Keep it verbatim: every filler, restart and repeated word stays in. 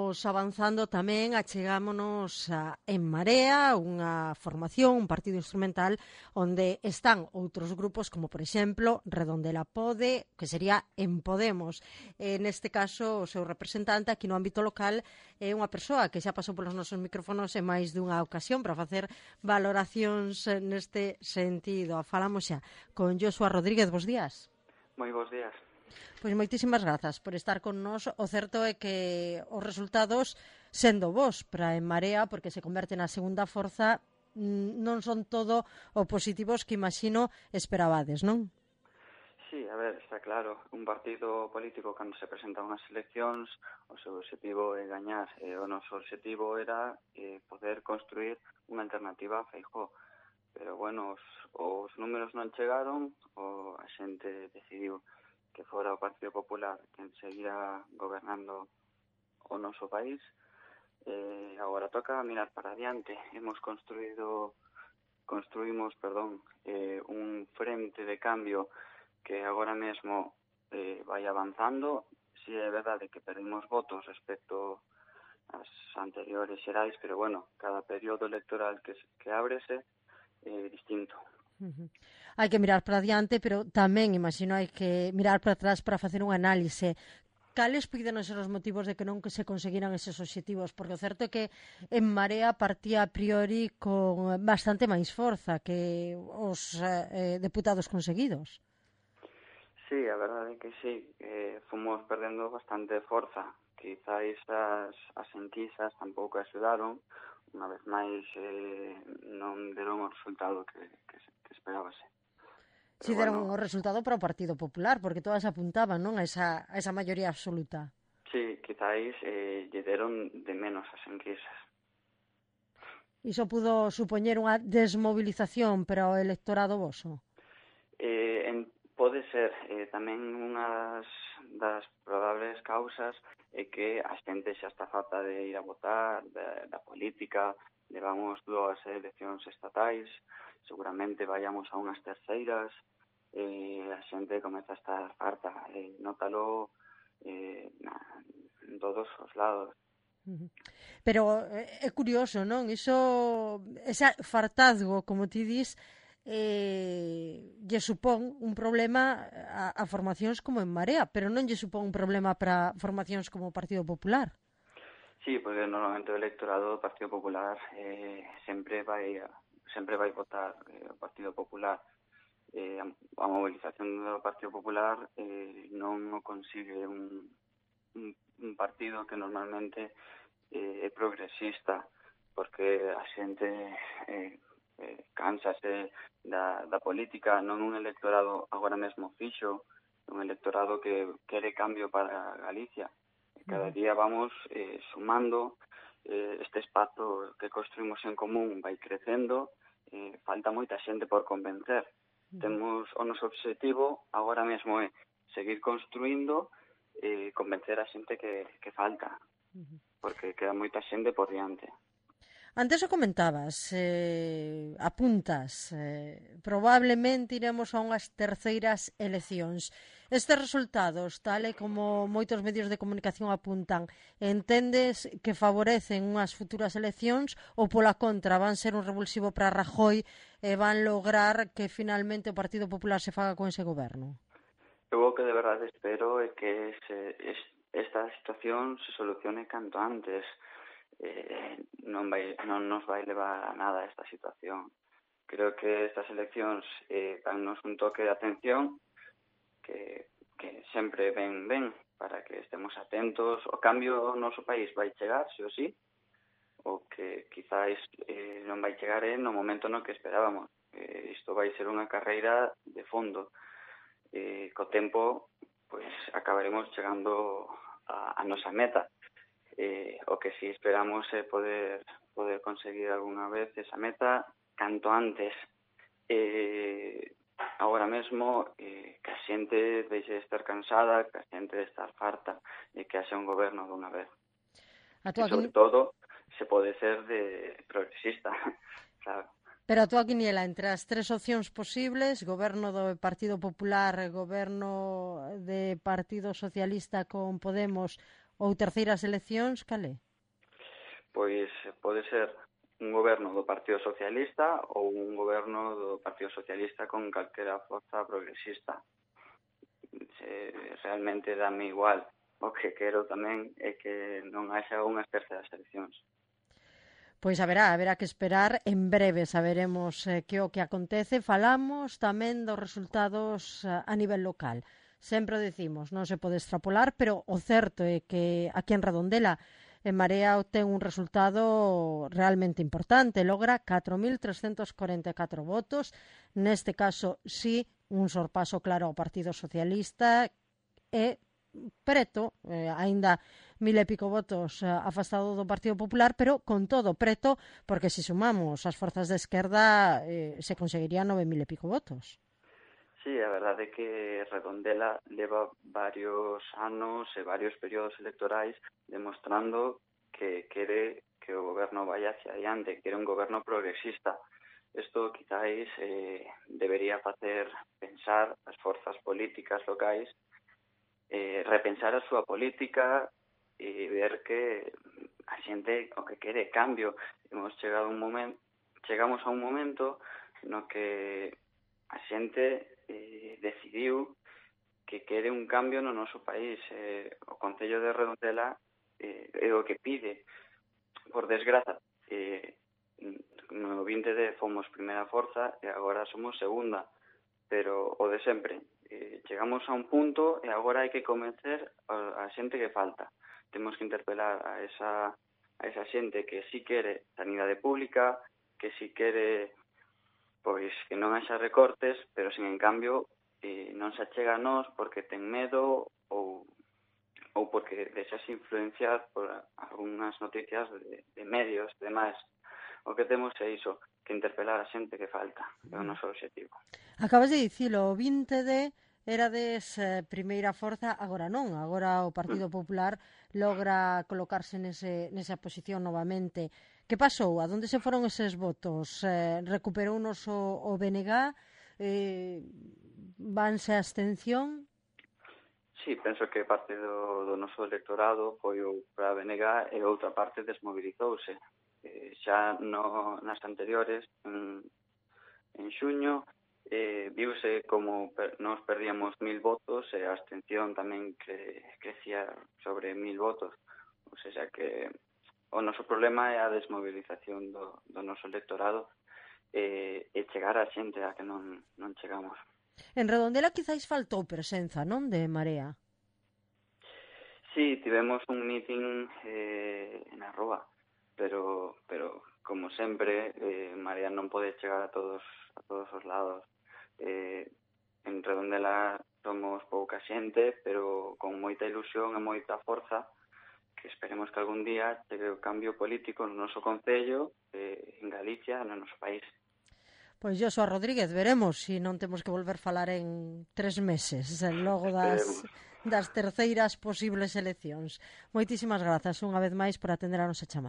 imos avanzando tamén, achegámonos a En Marea, unha formación, un partido instrumental onde están outros grupos como, por exemplo, Redondela Pode, que sería En Podemos. E, neste caso, o seu representante aquí no ámbito local é unha persoa que xa pasou polos nosos micrófonos en máis dunha ocasión para facer valoracións neste sentido. Falamos xa con Joshua Rodríguez. Bos días. Moi bons días. Pois moitísimas grazas por estar con nós. O certo é que os resultados, sendo vos para En Marea, porque se converte na segunda forza, non son todo o positivos que imagino esperabades, non? Sí, a ver, está claro, un partido político cando se presenta unhas eleccións, o seu objetivo é gañar, e o noso objetivo era eh, poder construir unha alternativa a Feijóo. Pero, bueno, os, os números non chegaron, o a xente decidiu que fora o Partido Popular quen seguirá gobernando o noso país. Eh, agora toca mirar para adiante. Hemos construído, construímos, perdón, eh, un frente de cambio que agora mesmo eh, vai avanzando. Si é verdade que perdimos votos respecto ás anteriores xerais, pero, bueno, cada período electoral que, que ábrese é distinto. Uh-huh. Hai que mirar para adiante, pero tamén, imagino, hai que mirar para atrás para facer un análise. Cales puiden ser os motivos de que non que se conseguiran eses obxectivos? Porque o certo é que En Marea partía a priori con bastante máis forza que os eh, deputados conseguidos. Sí, a verdade é que sí, eh, fomos perdendo bastante forza. Quizáis as, as enquisas tampouco axudaron. Unha vez máis eh, non deron o resultado que, que, que esperábase. Si deron bueno, o resultado para o Partido Popular, porque todas apuntaban, non, a esa, a esa maioría absoluta. Sí, quizáis eh, lle deron de menos as enquisas. Iso pudo supoñer unha desmovilización para o electorado voso? Eh, en, pode ser. Eh, tamén unhas das probables causas é que a xente xa está farta de ir a votar, da, da política. Levamos dúas eleccións estatais, seguramente vayamos a unhas terceiras, eh, a xente comeza a estar farta, eh, nótalo eh, na, en todos os lados. Pero é curioso, non? Iso, ese fartazgo, como ti dis, eh, lle supón un problema a, a formacións como En Marea, pero non lle supón un problema para formacións como o Partido Popular. Sí, porque normalmente o electorado do Partido Popular eh, sempre vai sempre vai votar eh, o Partido Popular. Eh, a, a movilización do Partido Popular eh, non o consigue un, un, un partido que normalmente eh, é progresista, porque a xente eh, eh, cánsase da, da política, non un electorado agora mesmo fixo, un electorado que quere cambio para Galicia. Cada día vamos eh, sumando, eh, este espazo que construímos en común vai crecendo, eh, falta moita xente por convencer. Uh-huh. Temos o noso objetivo agora mesmo é seguir construindo e eh, convencer a xente que, que falta, uh-huh. porque queda moita xente por diante. Antes o comentabas, eh, apuntas, eh, probablemente iremos a unhas terceiras eleccións. Estes resultados, tal e como moitos medios de comunicación apuntan, entendes que favorecen unhas futuras eleccións ou pola contra van ser un revulsivo para Rajoy e van lograr que finalmente o Partido Popular se faga con ese goberno? Eu o que de verdade espero é que se, es, esta situación se solucione canto antes. Eh, non, vai, non nos vai levar a nada esta situación. Creo que estas eleccións eh, dannos un toque de atención que, que sempre ven ben para que estemos atentos. O cambio no noso país vai chegar, sí ou sí, o que quizáis eh, non vai chegar eh, no momento no que esperábamos. Eh, isto vai ser unha carreira de fondo. Eh, co tempo, pois, acabaremos chegando a, a nosa meta. Eh, o que si esperamos é poder poder conseguir algunha vez esa meta canto antes. Eh, agora mesmo eh, que a xente deixe de estar cansada, que a xente de estar farta e que haxa un goberno dunha vez. E sobre todo se pode ser de progresista, claro. Pero a túa quiniela entre as tres opcións posibles, goberno do Partido Popular, goberno de Partido Socialista con Podemos Ou terceiras eleccións, cal é? Pois pode ser un goberno do Partido Socialista ou un goberno do Partido Socialista con calquera forza progresista. Se, realmente dame igual. O que quero tamén é que non haxa unhas terceras eleccións. Pois haberá, haberá que esperar, en breve saberemos eh, que o que acontece. Falamos tamén dos resultados eh, a nivel local. Sempre decimos, non se pode extrapolar, pero o certo é que aquí en Redondela En Marea obtén un resultado realmente importante, logra catro mil trescentos corenta e catro votos, neste caso sí, un sorpaso claro ao Partido Socialista e preto, eh, aínda mil e pico votos eh, afastado do Partido Popular, pero con todo preto, porque se sumamos as forzas de esquerda eh, se conseguirían nove mil e pico votos. Sí, a verdade é que Redondela leva varios anos e varios períodos electorais demostrando que quere que o goberno vaya hacia adiante, que quere un goberno progresista. Isto quizáis eh, debería facer pensar as forzas políticas locais, eh, repensar a súa política e ver que a xente o que quere cambio. Hemos chegado un momento, chegamos a un momento no que a xente eh, decidiu que quere un cambio no noso país. Eh, o Concello de Redondela eh, é o que pide. Por desgraza, eh, no vinte de fomos primeira forza e agora somos segunda, pero o de sempre. Eh, chegamos a un punto e agora hai que convencer a, a xente que falta. Temos que interpelar a esa, a esa xente que si quere sanidade pública, que si quere pois que non haxa recortes, pero sen en cambio eh, non se achega a nós porque ten medo ou, ou porque deixase influenciar por algunhas noticias de, de medios e demais. O que temos é iso, que interpelar a xente que falta, é o noso objetivo. Acabas de dicilo, o vinte de erades eh, primeira forza, agora non, agora o Partido Popular logra colocarse nese, nesa posición novamente. Que pasou? A donde se foron eses votos? Eh, recuperounos o, o B N G? Eh, vanse a abstención? Sí, penso que parte do, do noso electorado foi o para a B N G e outra parte desmobilizouse. Eh, xa no, nas anteriores, en, en xuño, eh, viuse como per, nos perdíamos mil votos e a abstención tamén cre, crecía sobre mil votos. O sea que o noso problema é a desmobilización do, do noso electorado e, e chegar a xente a que non, non chegamos. En Redondela quizáis faltou presenza, non, de Marea? Sí, tivemos un meeting eh, na Roa, pero pero como sempre, eh, Marea non pode chegar a todos a todos os lados. Eh, en Redondela somos pouca xente, pero con moita ilusión e moita forza, que esperemos que algún día chegue o cambio político no noso concello, eh, en Galicia, no noso país. Pois Joshua Rodríguez, veremos se si non temos que volver falar en tres meses, logo das, das terceiras posibles eleccións. Moitísimas grazas unha vez máis por atender a nosa chamada.